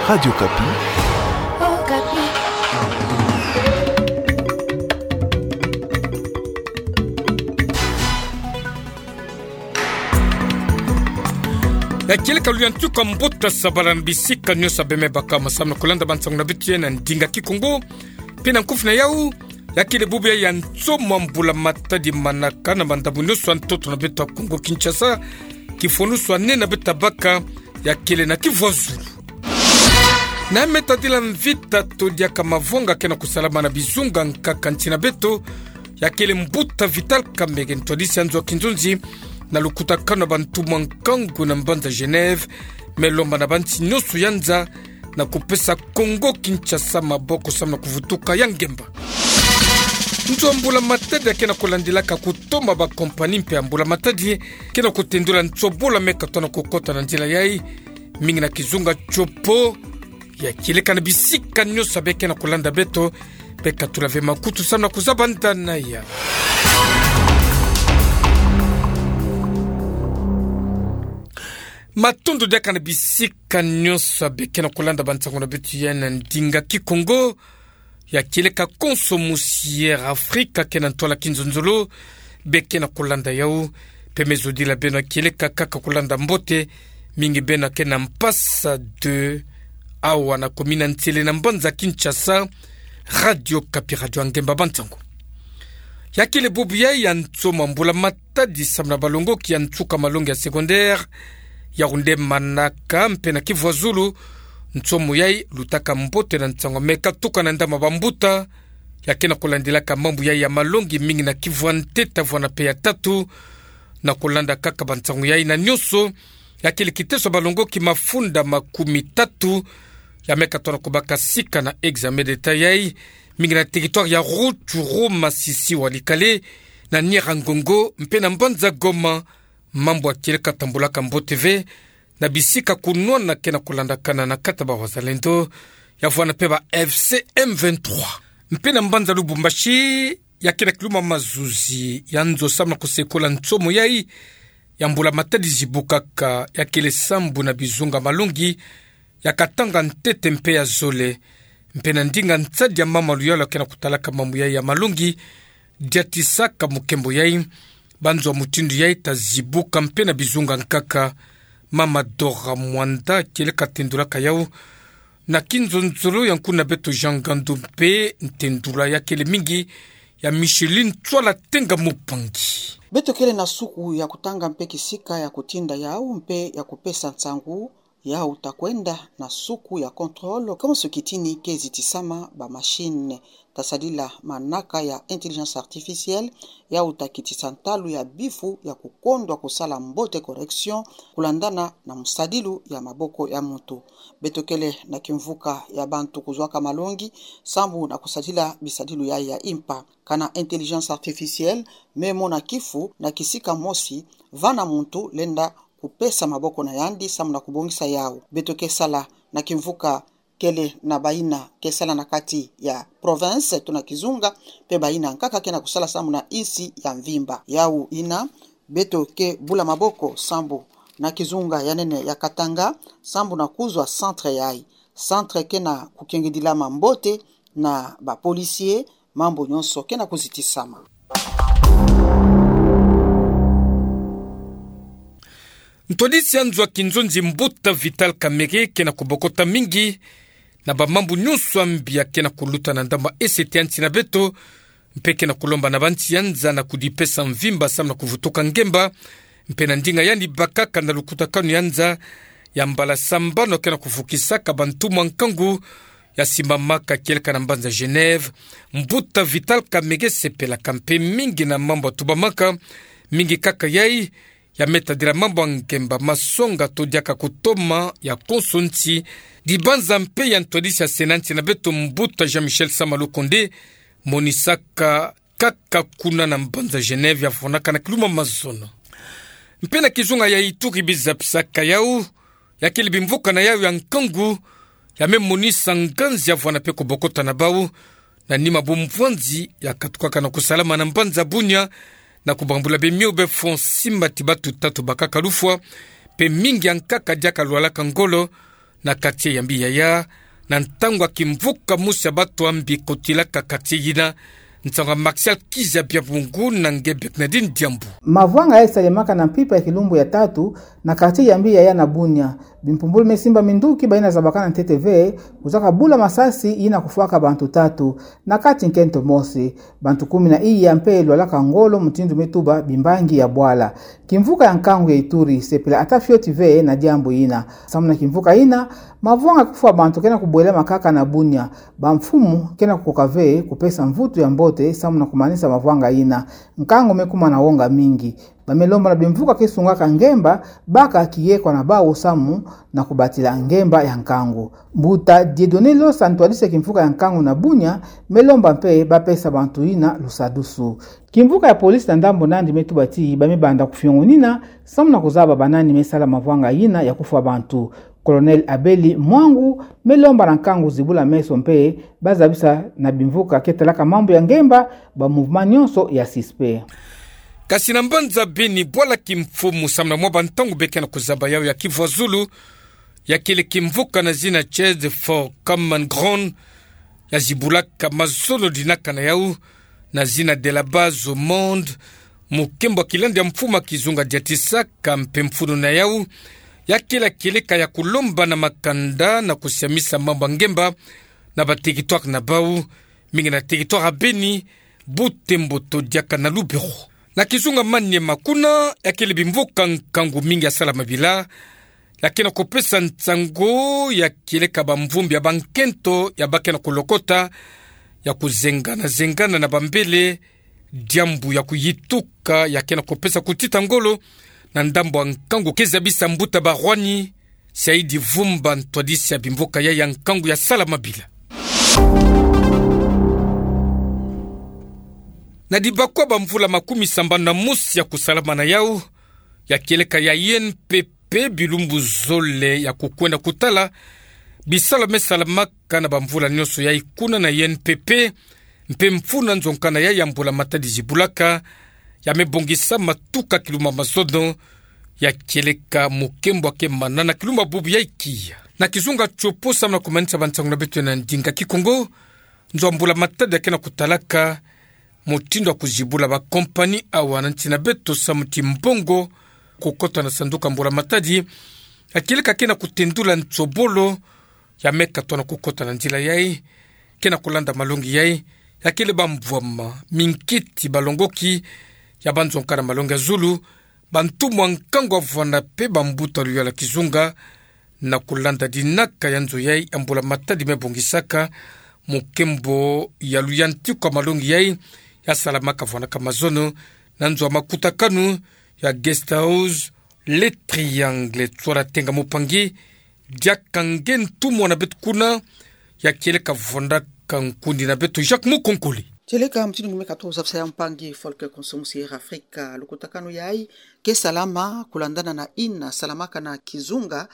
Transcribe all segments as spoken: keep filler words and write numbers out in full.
Radio Okapi. Ya kieleka luyantuka mbuta sabala na bisika nyonso beme baka masamu na kulanda bansangu na beto ya na ndinga Kikongo. Mpe na nkufi na yau, ya kele bubu ya ya nsomo a mbula matadi manaka na mandambu nyonso a ntoto na beto ya Kongo Kinshasa, kifwanusu a nene na beto ya baka, ya kele na kivwazulu. Na me tadila mvita to diaka mavonga ke na kusalama na bizunga nkaka nsi na beto, ya kele mbuta Vital Kamerhe, ntwadisi a nzo a kinzonzi na lukutakanu a bantu mwa nkangu na mbanza Genève, me lomba na bansi nyonso ya nza na kupesa Kongo Kinshasa maboko samu na kuvutuka ya ngemba. Nzo a mbula matadi ya ke na kulandilaka kutoma bakompani mpe a mbula matadi ke na kutendula nsobolo me katona kukota na nzila yai, mingi na kizunga tiopo. Ya kieleka na bisika nyonso be ke na kulanda beto, be katula ve makutu samu na kuzaba ndana ya. Matondo diaka na bisika nyonso be ke na kulanda bansangu na beto ya na ndinga Kikongo. Ya kieleka konso musi Air Afrika ke na ntwala kinzonzolo, be ke na kulanda yau. Mpe me zodila beno ya kieleka kaka kulanda mbote, mingi beno ke na Mpasa deux, awa na komina Nsele na mbanza Kinshasa. Radio Okapi, radio ya ngemba bansangu. Ya kele bubu yai ya nsomo a mbula matadi samu na balongoki ya nsuka malongi ya secondaire, ya kunde manaka mpe na kivwazulu, nsomo yai lutaka mbote na nsangu me katuka na ndambu a bambuta ya ke na kulandilaka mambu yai ya malongi, mingi na kivwa ntete, vwa na pe ya tatu. Na kulanda kaka bansangu yai na nyonso, ya kele kiteso a balongoki mafunda makumi tatu ya me katona kubaka sika na examen d'État yai, mingi na territoire ya Rutshuru, Masisi, Walikale, na Nyiragongo mpe na mbanza Goma. Mambu ya kieleka tambulaka mbote ve na bisika kunwana ke na kulandakana na kati ya bawazalendo, ya vwa na pe ba F C M vingt-trois. Mpe na mbanza Lubumbashi, ya ke na kiluma mazuzi ya nzo samu na kusekola nsomo yai ya mbula matadi zibukaka, ya kele sambu na bizunga malongi ya katanga ntete mpe ya zole. Mpe na ndinga nsadi ya mama Luyalo ke na kutalaka mambu yai ya malongi, diatisaka mukembo yai, banzo ya mutindu yai ta zibuka mpe na bizunga nkaka. Mama Dora Mwanda kieleka tendulaka yau na kinzonzolo ya nkuna beto Jean Ngandu mpe ntendula ya kele mingi ya Micheline Tswala Tenga Mupangi. Beto kele na suku ya kutanga mpe kisika ya kutinda yau mpe ya kupesa nsangu. Yau ta kwenda na suku ya contrôle, comme so kitini ke zitisama ba machine, ta sadila manaka ya intelligence artificielle, yau ta kitisa ntalu ya bifu ya kukondwa kusala mbote correction, kulandana na musadilu ya maboko ya muntu. Beto kele na kimvuka ya bantu kuzwaka malongi sambu na kusadila bisadilu yai ya impa. Kana intelligence artificielle me mona kifu na kisika mosi, vana muntu lenda kupesa maboko na yandi sambu na kubongisa yau. Beto ke sala na kimvuka kele na bayina ke sala na kati ya province to na kizunga, mpe bayina nkaka ke na kusala sambu na insi ya mvimba. Yau yina, beto ke bula maboko sambu na kizunga ya nene ya Katanga, sambu na kuzwa centre yai. Centre ke na kukengidilama mbote na ba policiers, mambu nyonso ke na kuzitisama. Ntwadisi ya nzo ya kinzonzi mbuta Vital Kamerhe ke na kubokota mingi na bamambu nyonso ya mbi ya ke na kuluta na ndambu ya ese ya nsi na beto, mpe ke na kulomba na bansi ya nza na kudipesa mvimba sambu na kuvutuka ngemba, mpe na ndinga yandi bakaka na lukutakanu ya nza ya mbala sambanu ke na kuvukisaka bantu mwa nkangu ya simbamaka kieleka na mbanza Genève, mbuta Vital Kamerhe sepelaka mpe mingi na mambu ya tubamaka, mingi kaka yai ya me tadila mambu ya ngemba, masonga to diaka kutoma ya konso nsi, dibanza mpe ya ntwadisi ya Sénat ya nsi na beto mbuta Jean-Michel Sama Lukonde monisaka kaka kuna na mbanza Genève ya fondaka na kiluma mazono. Mpe na kizunga ya Ituri bizapisaka yau, ya kele bimvuka na yau ya nkangu ya me monisa nganzi ya vwanda mpe kubokota na bau, na nima bumvwanzi ya katukaka na kusalama na mbanza Bunia, na kubambula bemio be fond simba ti batu tatu bakaka lufwa, mpe mingi ya nkaka diaka lwalaka ngolo, na quartier Yambi Yaya, na ntangu ya kimvuka mosi ya bato ya mbi kotilaka quartier yina. Nsanga Martial Kizabia Bungu na nge Bernardine Diambu. Mavwanga yayi salemaka na mpimpa ya kilumbu ya tatu na quartier Yambi Yaya na Bunia. Bimpumbulu me simba minduki bayina zabakana ntete ve, kuzaka bula masasi yina kufwaka bantu tatu, na kati nkento mosi. Bantu kumi na iya mpe lwalaka ngolo mutindu me tuba bimbangi ya bwala. Kimvuka ya nkangu ya Ituri sepela ata fioti ve na diambu yina. Samu na kimvuka yina, mavwanga kufwa bantu kena kubwela makaka na Bunia. Bamfumu kena kukoka ve kupesa mvutu ya mbote samu na kumanisa mavwanga yina. Nkangu me kuma na wonga mingi. Ba me lomba na bimvuka ke sungaka ngemba, baka kiyekwa na bawu samu na kubatila ngemba ya nkangu. Mbuta Dieudonné Losa, ntwadisi ya kimvuka ya nkangu na Bunia, me lomba mpe bapesa bantu yina lusadusu. Kimvuka ya polisi na ndambu nandi me tuba ti ba me banda kufiongonina samu na kuzaba banani me sala mavwanga yina ya kufwa bantu. Colonel Abeli Mwangu me lomba na nkangu zibula meso mpe bazabisa na bimvuka ke talaka mambu ya ngemba ba mouvement nyonso ya suspect. Kasi na mbanza Beni, bwala kimfumu samu na mwa bantangu be kena kuzaba yawu ya kivwa zulu, ya kele kimvuka na zina Church for Common Ground, ya zibulaka mazono dinaka na yawu na zina De la Base au Monde, mukembo ya kilandi ya mfumu ya kizunga Diatisaka mpe mfunu na yawu ya kele kieleka ya kulomba na makanda na kusiamisa mambu ya ngemba na ba territoire na bawu, mingi na territoire ya Beni, Butembo to diaka na Lubero. Na kizunga Maniema kuna, ya kele bimvuka nkangu mingi ya salama bila, ya kena kupesa nsangu ya kieleka bamvumbi ya bankento ya ba kena kulokota, ya kuzengana-zengana na bambele, diambu ya kuyituka ya kena kupesa kutita ngolo na ndambu ya nkangu ke zabisa mbuta Barwani Saidi Vumba, ntwadisi ya bimvuka yayi ya nkangu ya salama bila. Na dibakwa bamvula makumi sambanu na mosi ya kusalama na yawu ya kieleka ya I N P P, bilumbu zole ya kukwenda kutala bisalu me salamaka na bamvula nyonso yayi kuna na I N P P, mpe mfunu na nzonga na yayi ya mbula matadi zibulaka, ya me bongisama tuka kilumbu ya mazono ya kieleka mukembo ya kemana na kilumbu ya bubu yayi kiya. Na kizunga Tshopo, samu na kumanisa bansangu na beto na ndinga Kikongo, nzo ya mbula matadi ya kena kutalaka mutindu ya kuzibula ba compagnie awa na nsi na beto samu ti mbongo kukota na sanduku ya mbula matadi, ya kieleka kena kutendula nsobolo ya me katono kukota na nzila yayi. Kena kulanda malongi yayi, ya kele bambwama, minkiti, balongoki ya banzonga na malongi ya zulu, bantumwa nkangu ya vwanda mpe bambuta luyala kizunga, na kulanda dinaka ya nzo yayi ya mbula matadi me bongisaka mukembo ya luyantiku ya malongi yayi ya salamaka vwandaka mazono na nzo ya makutakanu ya Guest House Le Triangle. Tswala Tenga Mupangi, diaka nge ntumwa na beto kuna, ya kieleka vwandaka nkundi na beto Jacques Mukonkole. Kieleka mutindu ngu me katuka zabisa ya, mpangi Volker Konso, musi Air Africa. Lukutakanu yayi ke salama kulandana na yina salamaka na kizunga,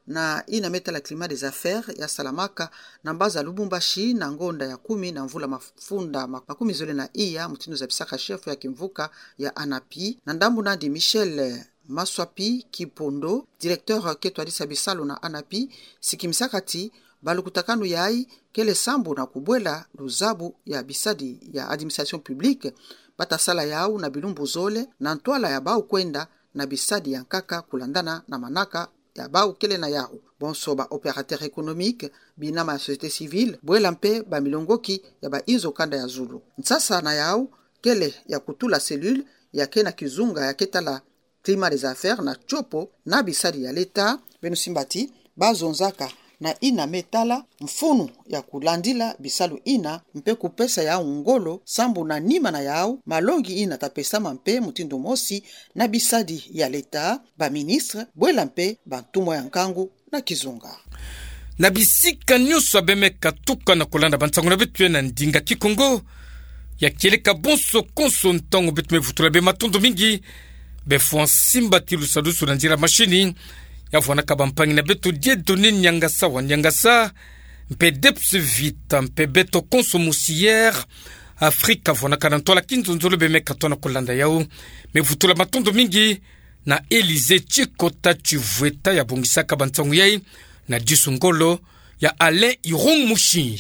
na yina me tala climat des affaires ya salamaka na mbaza Lubumbashi na ngonda ya kumi na mvula mafunda ma-, makumi zole na iya, mutindu zabisaka chef ya kimvuka ya ANAPI. Na ndambu nandi, Michel Maswapi Kipondo, directeur ke twadisa bisalu na ANAPI, sikimisaka ti balukutakanu yayi kele sambu na kubwela luzabu ya bisadi ya administration publique, ba ta sala yawu na bilumbu zole, na ntwala ya bawu kwenda na bisadi ya nkaka kulandana na manaka ya bawu kele na yawu. Bonso ba opérateur économique, binama ya société civile, bwela mpe bamilongoki ya ba inzo kanda ya zulu. Nsasa na yawu kele ya kutula cellule ya ke na kizunga ya ke tala climat des affaires na Tshopo na bisadi ya leta. Beno simba ti ba zonzaka na yina me tala mfunu ya kulandila bisalu yina mpe kupesa yawu ngolo sambu na nima na yawu malongi yina ta pesama mpe mutindu mosi na bisadi ya leta, baministre, bwela mpe bantumwa ya nkangu na kizunga. Na bisika nyonso ya be me katuka na kulanda bansangu na beto na ndinga Kikongo, ya kieleka bonso konso ntangu beto me vutula beno matondo mingi, beno fwa nsimba ti lusadusu na nzila machine ya vwanaka bampangi na beto Dieudonné Niangasa wa Niangasa, mpe Deps Vita, mpe beto konso musi Air Africa vwanaka na ntwala kinzonzolo be me katono kulanda yawu. Me vutula matondo mingi na Élysée Tshikota Tshivweta ya bongisaka bansangu yayi, na Jisu ngolo ya ale irung musin.